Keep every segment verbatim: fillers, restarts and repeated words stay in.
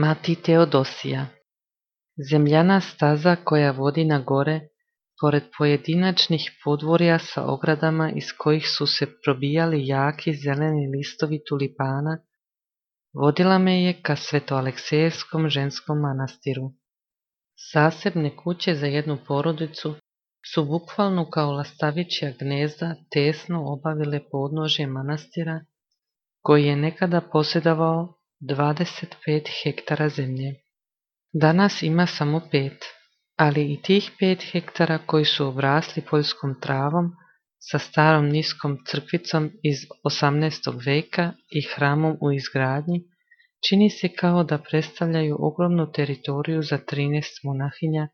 Mati Teodosija. Zemljana staza koja vodi na gore, pored pojedinačnih podvorja sa ogradama iz kojih su se probijali jaki zeleni listovi tulipana, vodila me je ka Svetoaleksejevskom ženskom manastiru. Zasebne kuće za jednu porodicu su bukvalno kao lastavičja gnezda tesno obavile podnožje manastira, koji je nekada posjedovao dvadeset pet hektara zemlje. Danas ima samo pet, ali i tih pet hektara koji su obrasli poljskom travom sa starom niskom crkvicom iz osamnaestog veka i hramom u izgradnji, čini se kao da predstavljaju ogromnu teritoriju za trinaest monahinja,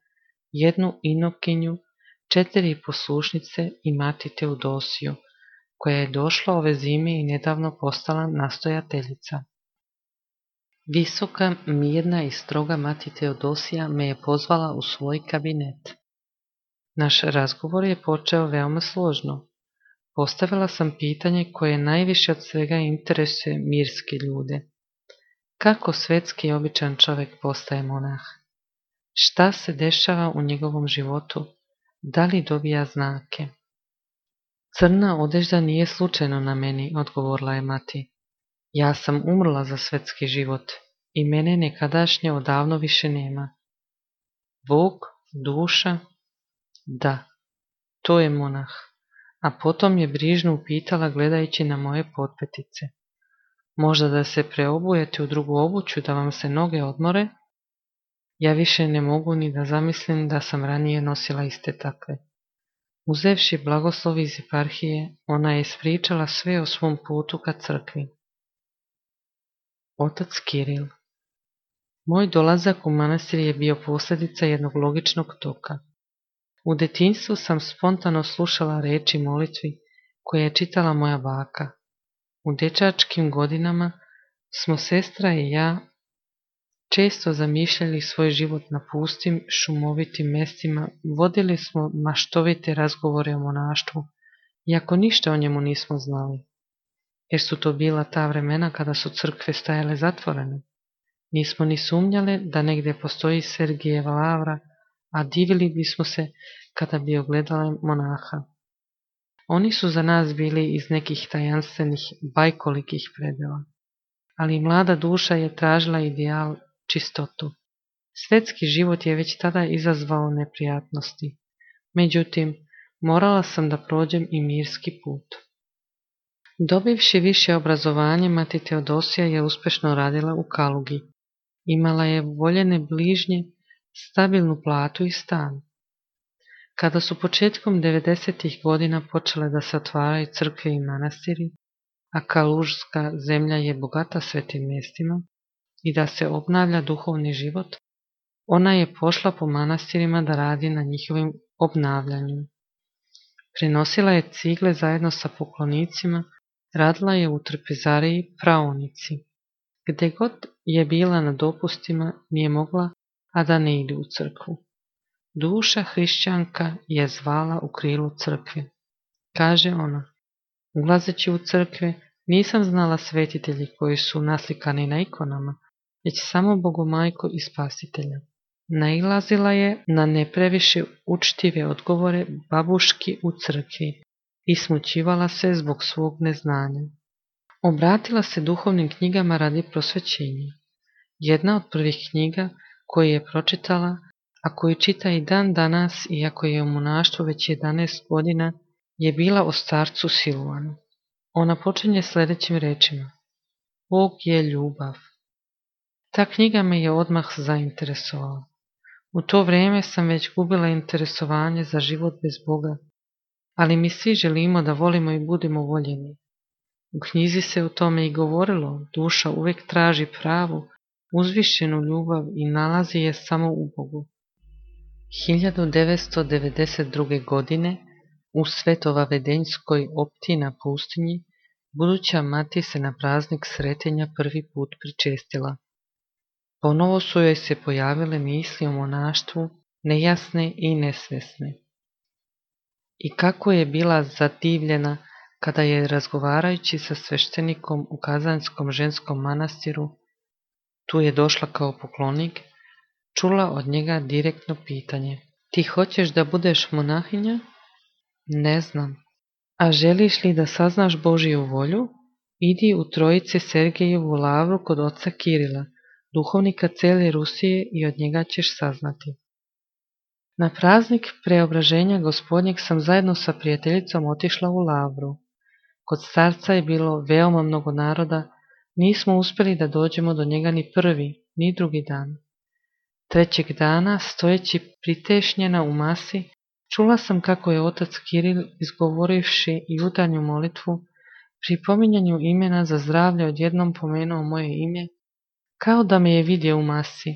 jednu inokinju, četiri poslušnice i mati Teodosiju, koja je došla ove zime i nedavno postala nastojateljica. Visoka, mirna i stroga mati Teodosija me je pozvala u svoj kabinet. Naš razgovor je počeo veoma složno. Postavila sam pitanje koje najviše od svega interesuje mirske ljude. Kako svetski i običan čovjek postaje monah? Šta se dešava u njegovom životu? Da li dobija znake? Crna odežda nije slučajno na meni, odgovorila je mati. Ja sam umrla za svetski život i mene nekadašnje odavno više nema. Bog, duša, da, to je monah. A potom je brižno upitala gledajući na moje potpetice. Možda da se preobujete u drugu obuću da vam se noge odmore? Ja više ne mogu ni da zamislim da sam ranije nosila iste takve. Uzevši blagoslov iz eparhije, ona je ispričala sve o svom putu ka crkvi. Otac Kiril. Moj dolazak u manastir je bio posljedica jednog logičnog toka. U detinjstvu sam spontano slušala reči molitvi koje je čitala moja baka. U dečačkim godinama smo sestra i ja često zamišljali svoj život na pustim, šumovitim mestima, vodili smo maštovite razgovore o monaštvu, iako ništa o njemu nismo znali. Jer su to bila ta vremena kada su crkve stajale zatvorene. Nismo ni sumnjale da negdje postoji Sergijeva lavra, a divili bismo se kada bi ogledali monaha. Oni su za nas bili iz nekih tajanstvenih, bajkolikih predela. Ali mlada duša je tražila ideal, čistotu. Svetski život je već tada izazvao neprijatnosti. Međutim, morala sam da prođem i mirski put. Dobivši više obrazovanje, mati Teodosija je uspešno radila u Kalugi. Imala je voljene bližnje, stabilnu platu i stan. Kada su početkom devedesetih godina počele da se otvaraju crkve i manastiri, a kalužska zemlja je bogata svetim mjestima, i da se obnavlja duhovni život, ona je pošla po manastirima da radi na njihovim obnavljanju. Prinosila je cigle zajedno sa poklonicima, radila je u trpezariji praonici. Gde god je bila na dopustima, nije mogla, a da ne ide u crkvu. Duša hrišćanka je zvala u krilu crkve. Kaže ona, ulazeći u crkve, nisam znala svetitelji koji su naslikani na ikonama, već samo Bogomajku i Spasitelja. Nailazila je na ne previše učtive odgovore babuški u crkvi i smućivala se zbog svog neznanja. Obratila se duhovnim knjigama radi prosvećenja. Jedna od prvih knjiga koju je pročitala, a koju čita i dan danas, iako je u monaštvu već jedanaest godina, je bila o starcu Siluanu. Ona počinje sljedećim rečima. Bog je ljubav. Ta knjiga me je odmah zainteresovala. U to vrijeme sam već gubila interesovanje za život bez Boga, ali mi svi želimo da volimo i budemo voljeni. U knjizi se o tome i govorilo, duša uvijek traži pravu, uzvišenu ljubav i nalazi je samo u Bogu. hiljadu devetsto devedeset druge. godine u Svetovavedenjskoj opti na pustinji, buduća mati se na praznik sretenja prvi put pričestila. Ponovo su joj se pojavile misli o monaštvu, nejasne i nesvesne. I kako je bila zadivljena kada je razgovarajući sa sveštenikom u Kazanskom ženskom manastiru tu je došla kao poklonik, čula od njega direktno pitanje. Ti hoćeš da budeš monahinja? Ne znam. A želiš li da saznaš Božiju volju? Idi u Trojice Sergejevu lavru kod oca Kirila, duhovnika cele Rusije, i od njega ćeš saznati. Na praznik preobraženja Gospodnjeg sam zajedno sa prijateljicom otišla u lavru. Kod starca je bilo veoma mnogo naroda, nismo uspjeli da dođemo do njega ni prvi, ni drugi dan. Trećeg dana, stojeći pritešnjena u masi, čula sam kako je otac Kiril, izgovorivši jutarnju molitvu, pri pominjanju imena za zdravlje odjednom pomenuo moje ime, kao da me je vidio u masi,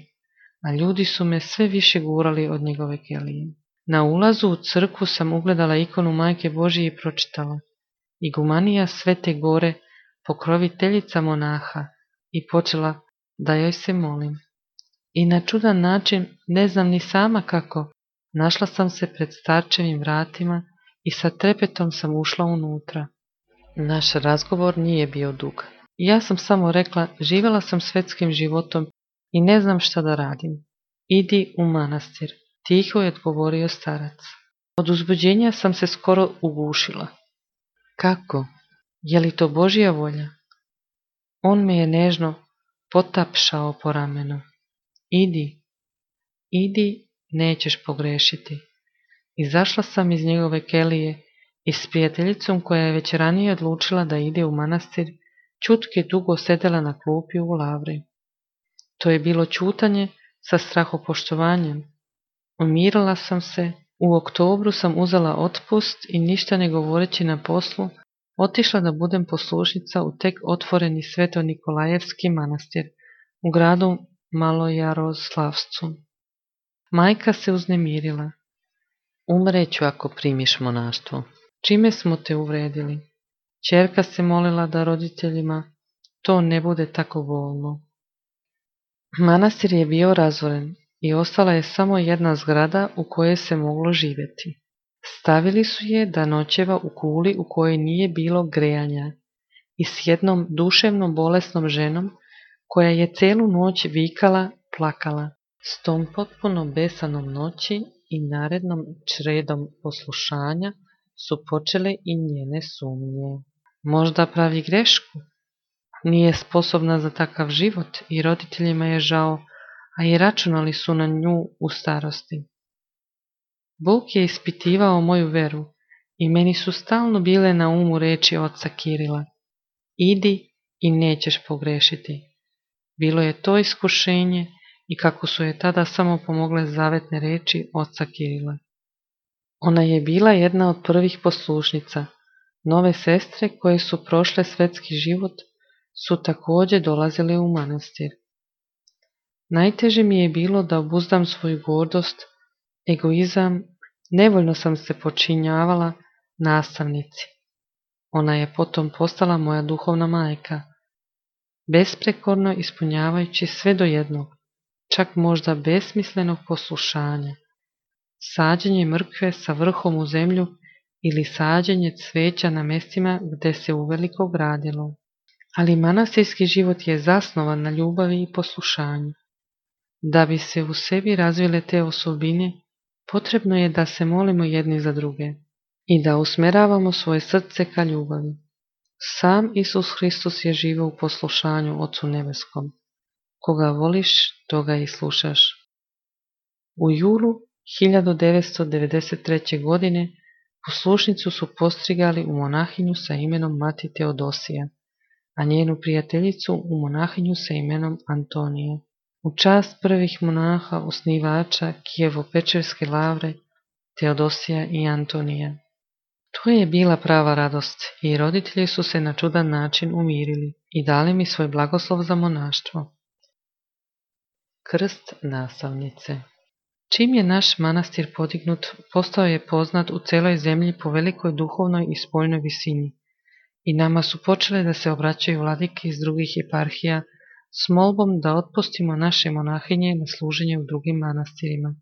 a ljudi su me sve više gurali od njegove kelije. Na ulazu u crkvu sam ugledala ikonu Majke Božije i pročitala: Igumanija Svete Gore, pokroviteljica monaha, i počela da joj se molim. I na čudan način, ne znam ni sama kako, našla sam se pred starčevim vratima i sa trepetom sam ušla unutra. Naš razgovor nije bio dug. Ja sam samo rekla: živjela sam svetskim životom i ne znam šta da radim. Idi u manastir, tiho je odgovorio starac. Od uzbuđenja sam se skoro ugušila. Kako? Je li to Božja volja? On me je nežno potapšao po ramenu. Idi, idi, nećeš pogrešiti. Izašla sam iz njegove kelije i s prijateljicom, koja je već ranije odlučila da ide u manastir, čutke dugo sedela na klupi u lavri. To je bilo čutanje sa strahopoštovanjem. Umirila sam se, u oktobru sam uzela otpust i ništa ne govoreći na poslu, otišla da budem poslušnica u tek otvoreni Sveto Nikolajevski manastir u gradu Malojaroslavcu. Majka se uznemirila. Umreću ako primiš monaštvo. Čime smo te uvredili? Ćerka se molila da roditeljima to ne bude tako bolno. Manastir je bio razoren i ostala je samo jedna zgrada u kojoj se moglo živjeti. Stavili su je da noćeva u kuli u kojoj nije bilo grejanja i s jednom duševno bolesnom ženom koja je celu noć vikala, plakala. S tom potpuno besanom noći i narednom čredom poslušanja su počele i njene sumnje. Možda pravi grešku? Nije sposobna za takav život i roditeljima je žao, a i računali su na nju u starosti. Bog je ispitivao moju veru i meni su stalno bile na umu reči oca Kirila: idi i nećeš pogrešiti. Bilo je to iskušenje i kako su je tada samo pomogle zavetne reči oca Kirila. Ona je bila jedna od prvih poslušnica. Nove sestre koje su prošle svetski život su također dolazile u manastir. Najteže mi je bilo da obuzdam svoju gordost, egoizam, nevoljno sam se počinjavala nastavnici. Ona je potom postala moja duhovna majka, besprekorno ispunjavajući sve do jednog, čak možda besmislenog poslušanja. Sađenje mrkve sa vrhom u zemlju ili sađenje cveća na mjestima gdje se uveliko gradilo. Ali manastirski život je zasnovan na ljubavi i poslušanju. Da bi se u sebi razvile te osobine, potrebno je da se molimo jedni za druge i da usmeravamo svoje srce ka ljubavi. Sam Isus Hristos je živio u poslušanju Ocu Nebeskom. Koga voliš, toga i slušaš. U julu hiljadu devetsto devedeset treće. godine poslušnicu su postrigali u monahinju sa imenom Mati Teodosija, a njenu prijateljicu u monahinju sa imenom Antonija. U čast prvih monaha osnivača Kijevo-Pečerske lavre, Teodosija i Antonija. To je bila prava radost i roditelji su se na čudan način umirili i dali mi svoj blagoslov za monaštvo. Krst nastavnice. Čim je naš manastir podignut, postao je poznat u celoj zemlji po velikoj duhovnoj i spoljnoj visini i nama su počele da se obraćaju vladike iz drugih eparhija s molbom da otpustimo naše monahinje na služenje u drugim manastirima.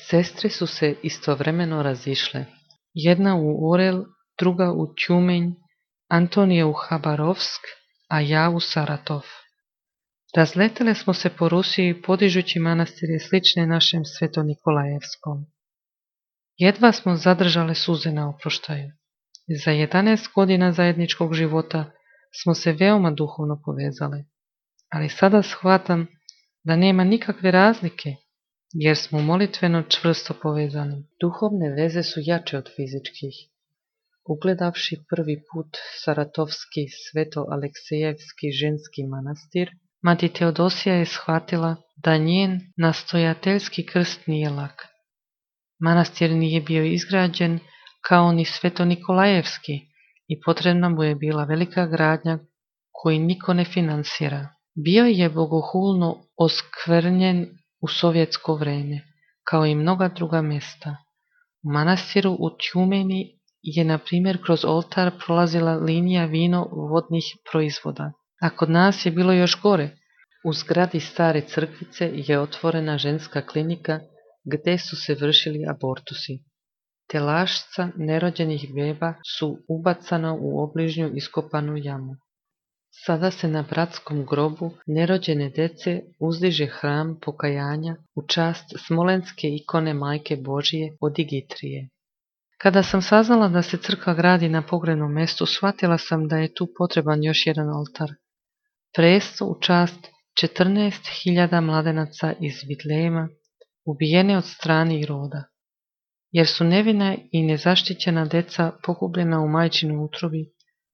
Sestre su se istovremeno razišle. Jedna u Orel, druga u Tjumenj, Antonija u Habarovsk, a ja u Saratov. Razletele smo se po Rusiji podižući manastire slične našem Sveto-Nikolajevskom. Jedva smo zadržale suze na oproštaju. Za jedanaest godina zajedničkog života smo se veoma duhovno povezale, ali sada shvatam da nema nikakve razlike, jer smo molitveno čvrsto povezani. Duhovne veze su jače od fizičkih. Ugledavši prvi put Saratovski Sveto-Aleksejevski ženski manastir, mati Teodosija je shvatila da njen nastojateljski krst nije lak. Manastir nije bio izgrađen kao ni Sveto-Nikolajevski i potrebna mu je bila velika gradnja koju niko ne finansira. Bio je bogohulno oskvrnjen u sovjetsko vreme, kao i mnoga druga mjesta. U manastiru u Tjumeni je, na primjer, kroz oltar prolazila linija vino-vodnih proizvoda, a kod nas je bilo još gore. U zgradi stare crkvice je otvorena ženska klinika gdje su se vršili abortusi. Telašca nerođenih beba su ubacana u obližnju iskopanu jamu. Sada se na bratskom grobu nerođene dece uzdiže hram pokajanja u čast smolenske ikone Majke Božije od Digitrije. Kada sam saznala da se crkva gradi na pogrebnom mjestu, shvatila sam da je tu potreban još jedan oltar. Presto u čast četrnaest hiljada mladenaca iz Vitlejema, ubijene od strane roda, jer su nevina i nezaštićena deca pogubljena u majčinoj utrobi,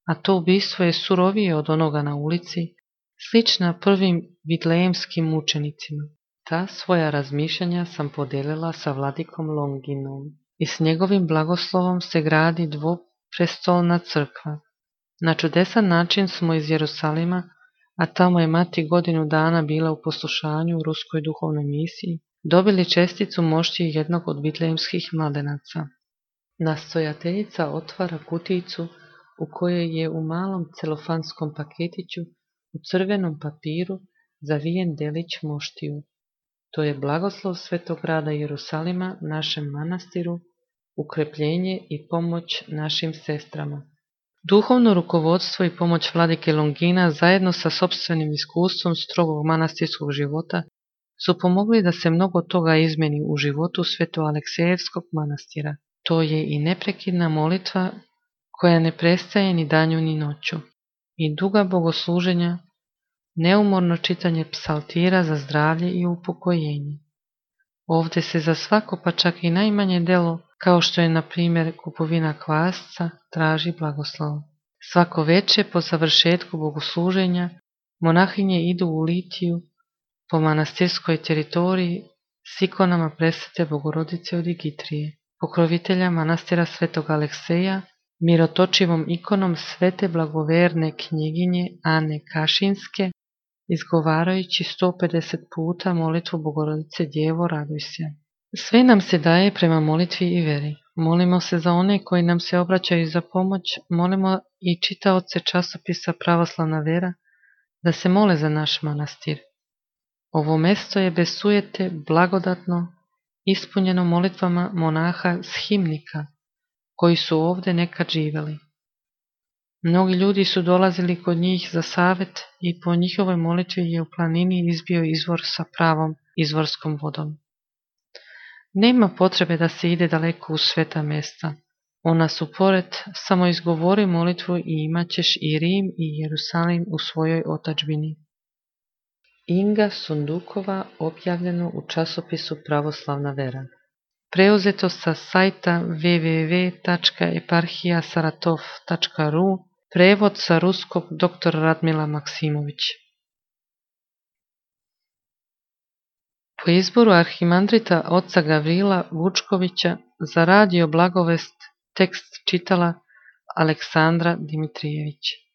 a to ubistvo je surovije od onoga na ulici, slična prvim vitlejemskim mučenicima. Ta svoja razmišljanja sam podijelila sa vladikom Longinom i s njegovim blagoslovom se gradi dvoprestolna crkva. Na čudesan način smo iz Jerusalima, a tamo je mati godinu dana bila u poslušanju u ruskoj duhovnoj misiji, dobili česticu mošti jednog od vitlejemskih mladenaca. Nastojateljica otvara kutijicu u kojoj je u malom celofanskom paketiću u crvenom papiru zavijen delić moštiju. To je blagoslov Svetog grada Jerusalima našem manastiru, ukrepljenje i pomoć našim sestrama. Duhovno rukovodstvo i pomoć vladike Longina zajedno sa sopstvenim iskustvom strogog manastirskog života su pomogli da se mnogo toga izmeni u životu Sveto-Aleksejevskog manastira. To je i neprekidna molitva koja ne prestaje ni danju ni noću, i duga bogosluženja, neumorno čitanje psaltira za zdravlje i upokojenje. Ovdje se za svako, pa čak i najmanje delo, kao što je na primjer kupovina kvasca, traži blagoslov. Svako veče po završetku bogosluženja monahinje idu u litiju po manastirskoj teritoriji s ikonama presvete Bogorodice od Digitrije, pokrovitelja manastira Svetog Alekseja, mirotočivom ikonom svete blagoverne knjeginje Ane Kašinske, izgovarajući sto pedeset puta molitvu Bogorodice Djevo raduj se. Sve nam se daje prema molitvi i veri. Molimo se za one koji nam se obraćaju za pomoć, molimo i čitaoce časopisa Pravoslavna vera da se mole za naš manastir. Ovo mesto je bez sujete blagodatno, ispunjeno molitvama monaha shimnika, koji su ovdje nekad živjeli. Mnogi ljudi su dolazili kod njih za savjet i po njihovoj molitvi je u planini izbio izvor sa pravom izvorskom vodom. Nema potrebe da se ide daleko u sveta mjesta. Ona su pored, samo izgovori molitvu i imat ćeš i Rim i Jerusalim u svojoj otadžbini. Inga Sundukova, objavljeno u časopisu Pravoslavna vera. Preuzeto sa sajta w w w tačka eparhija saratov tačka r u, prevod sa ruskog dr. Radmila Maksimović. Po izboru arhimandrita oca Gavrila Vučkovića za radio Blagovest tekst čitala Aleksandra Dimitrijević.